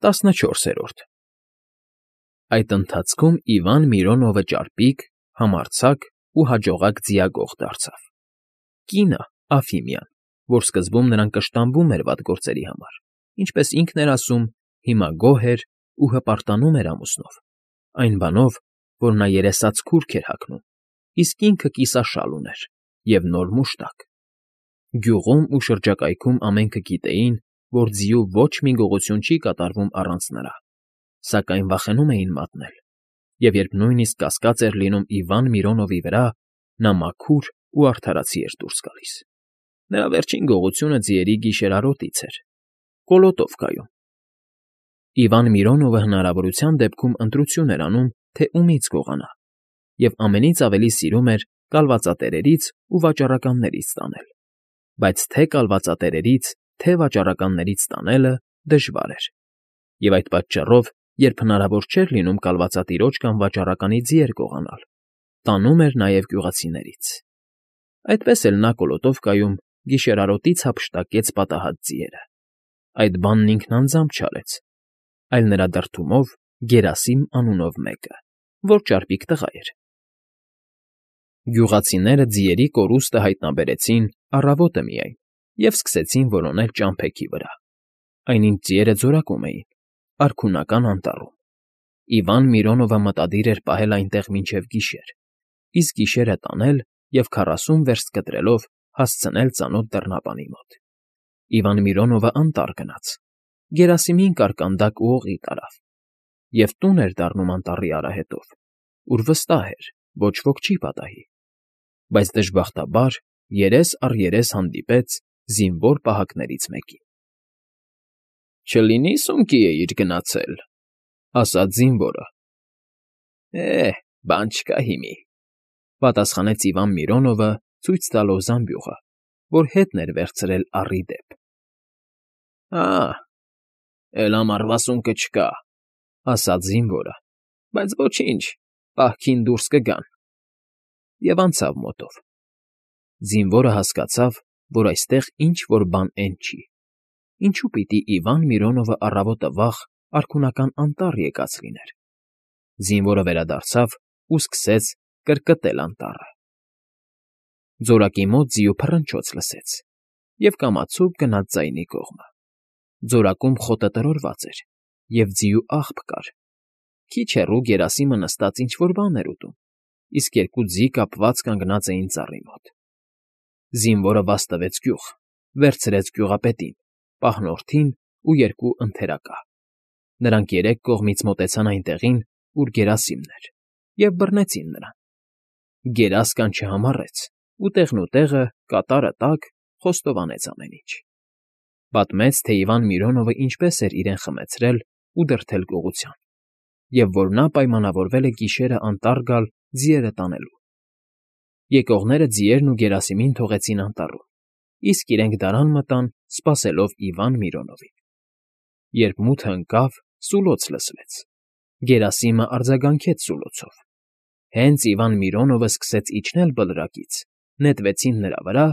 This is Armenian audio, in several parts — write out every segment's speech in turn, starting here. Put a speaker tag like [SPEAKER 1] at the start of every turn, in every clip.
[SPEAKER 1] 14-րդ Այդ ընթացքում Իվան Միրոնովը ճարպիկ, համարձակ ու հաջողակ ձիագող դարձավ. կինը՝ Աֆիմյան, որ սկզբում նրան կշտամբում էր վատ գործերի համար, ինչպես ինքն էր ասում, հիմա գոհ էր ու հպարտանում էր ամուսնով, այն բանով, որ նա երեսաց քուրք էր հագնում, իսկ ինքը կիսաշալ ուներ և նոր մուշտակ։ Գյուղում ու շրջակայքում ամենքը գիտեին, որ ձիու ոչ մի գողություն չի կատարվում առանց նրա, սակայն վախենում էին մատնել, և երբ նույնիսկ կասկած էր լինում Իվան Միրոնովի վրա, նա մաքուր ու արդարացի էր դուրս գալիս։ Նրա վերջին գողությունը ձիերի գիշերարոտից էր, կոլոտով կայուն։ Իվան Միրոնովը հնարավորության դեպքում ընտրություն էր անում, թե ումից գողանա, և ամենից ավելի սիրում էր կալվածատերերից ու վաճառականներից ստանել, բայց թե կալվածատերերից, թե վաճառականներից ստանելը դժվար էր, և այդ պատճառով, երբ հնարավոր չէր լինում կալվածատիրոջ կամ վաճառականի ձիեր գողանալ, տանում էր նաև գյուղացիներից։ Այդպես էլ նա կոլոտով կայում գիշերարոտից հափշտակեց պատահած ձիերը։ Այդ բանն ինքն անձամբ չարեց, այլ նրա դրդումով Գերասիմ անունով մեկը, որ ճարպիկ տղա էր։ Գյուղացիները ձիերի կորուստը հայտնաբերեցին առավոտը միայն և սկսեցին որոնել ճամփեքի վրա, այնինչ ձիերը ձորակում էին, արքունական անտառում։ Իվան Միրոնովը մտադիր էր պահել այնտեղ մինչև գիշեր, իսկ գիշերը տանել և 40 վերստ կտրելով հասցնել ծանոթ դռնապանի մոտ։ Իվան Միրոնովը անտառ գնաց, Գերասիմին կարկանդակ ու օղի տարավ, և տուն էր դառնում անտառի արահետով, ուր վստահ էր, ոչ ոք չի պատահի, բայց դժբախտաբար երես առ երես հանդիպեց զինվոր պահակներից մեկին։ «Չլինի՞ սունկի էիր գնացել,֊ ասաց զինվորը։ Բան չկա հիմի,֊ պատասխանեց Իվան Միրոնովը, ցույց տալով զամբյուղը, որ հետն էր վերցրել առի դեպ։ Էլ ամառվա սունկը չկա,֊ ասաց զինվորը,֊ բայց ոչինչ, պահքին դուրս կգան,֊ և անցավ մոտով։ Զինվորը հասկացավ, որ այստեղ ինչ֊որ բան էն չի, ինչու պիտի Իվան Միրոնովը առավոտը վաղ արքունական անտառ եկած լիներ։ Զինվորը վերադարձավ ու սկսեց կրկտել անտառը։ Ձորակի մոտ ձիու փռնչոց լսեց և կամացուկ գնաց ձայնի կողմը։ Ձորակում խոտը տրորված էր, և ձիու աղբ կար։ Քիչ հեռու Գերասիմը նստած ինչ֊որ բան էր ուտում, իսկ երկու ձի կապված կանգնած էին ծառի մոտ։ Զինվորը վաստվեց գյուղ, վերցրեց գյուղապետին, պահնորդին ու երկու ընթերակա։ Նրանք երեք կողմից մոտեցան այն տեղին, ուր Գերասիմն էր, և բռնեցին նրան։ Գերասկան չհամառեց ու տեղնուտեղը, կատարը տակ, խոստովանեց ամեն ինչ։ Պատմեց, թե Իվան Միրոնովը ինչպես էր իրեն խմեցրել ու դրդել գողության, և որ նա պայմանավորվել է գիշերը անտառ գալ ձիերը տանելու։ Եկողները ձիերն ու Գերասիմին թողեցին անտառում, իսկ իրենք դարան մտան, սպասելով Իվան Միրոնովին։ Երբ մութը ընկավ, սուլոց լսվեց։ Գերասիմը արձագանքեց սուլոցով։ Հենց Իվան Միրոնովը սկսեց իջնել բլրակից, նետվեցին նրա վրա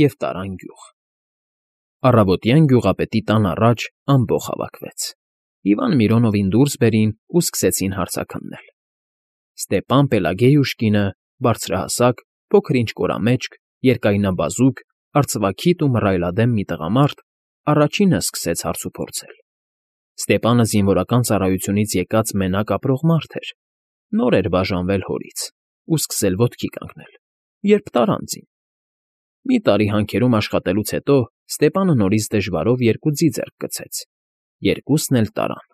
[SPEAKER 1] և տարան գյուղ։ Առավոտյան գյուղապետի տան առաջ ամբոխ հավաքվեց։ Իվան Միրոնովին դուրս բերին ու սկսեցին հարցաքննել։ Ստեպան Պելագեյուշկինը, բարձրահասակ, փոքր-ինչ կորամեջք, երկայնաբազուկ, արծվաքիթ ու մռայլադեմ մի տղամարդ, առաջինը սկսեց հարցուփորձել։ Ստեպանը զինվորական ծառայությունից եկած մենակ ապրող մարդ էր, նոր էր բաժանվել հորից ու սկսել ոտքի կանգնել, երբ տարան ձին։ Մի տարի հանքերում աշխատելուց հետո Ստեպանը նորից դժվարով երկու ձի ձեռք գցեց, երկուսն էլ տարան։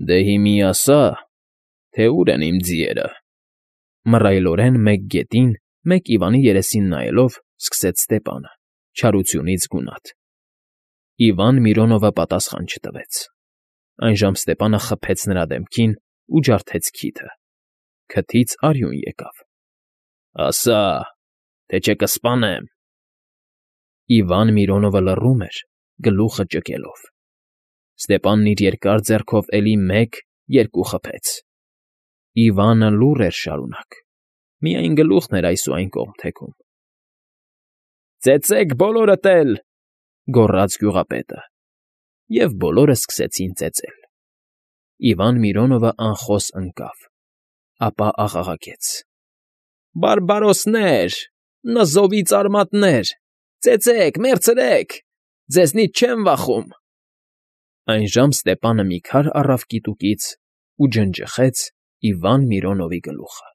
[SPEAKER 1] «Դե հիմի ասա, թե ուր են իմ ձիերը,֊ մռայլորեն մեկ գետին, մեկ Իվանի երեսին նայելով, սկսեց Ստեպանը, չարությունից գունատ։ Իվան Միրոնովը պատասխան չտվեց։ Այժմ Ստեպանը խփեց նրա դեմքին ու ջարդեց քիթը։ Քթից արյուն եկավ։ «Ասա, թե չէ կսպանեմ»։ Իվան Միրոնովը լռում էր, գլուխը ճկելով։ Ստեպանն իր երկար ձեռքով էլի մեկ, երկու խփեց։ Իվանը լուռ էր շարունակ, միայն գլուխն էր այս ու այն կողմ թեքում։ «Ծեծեք բոլորդ էլ,֊ գոռաց գյուղապետը։ և բոլորը սկսեցին ծեծել։ Իվան Միրոնովը անխոս ընկավ, ապա աղաղակեց. «Բարբարոսներ, նզովից արմատներ, ծեծեք, մեռցրեք, ձեզնից չեմ վախում»։ Այնժամ Ստեպանը մի քար առավ կիտուկից ու ջնջխեց Իվան Միրոնովի գլուխը։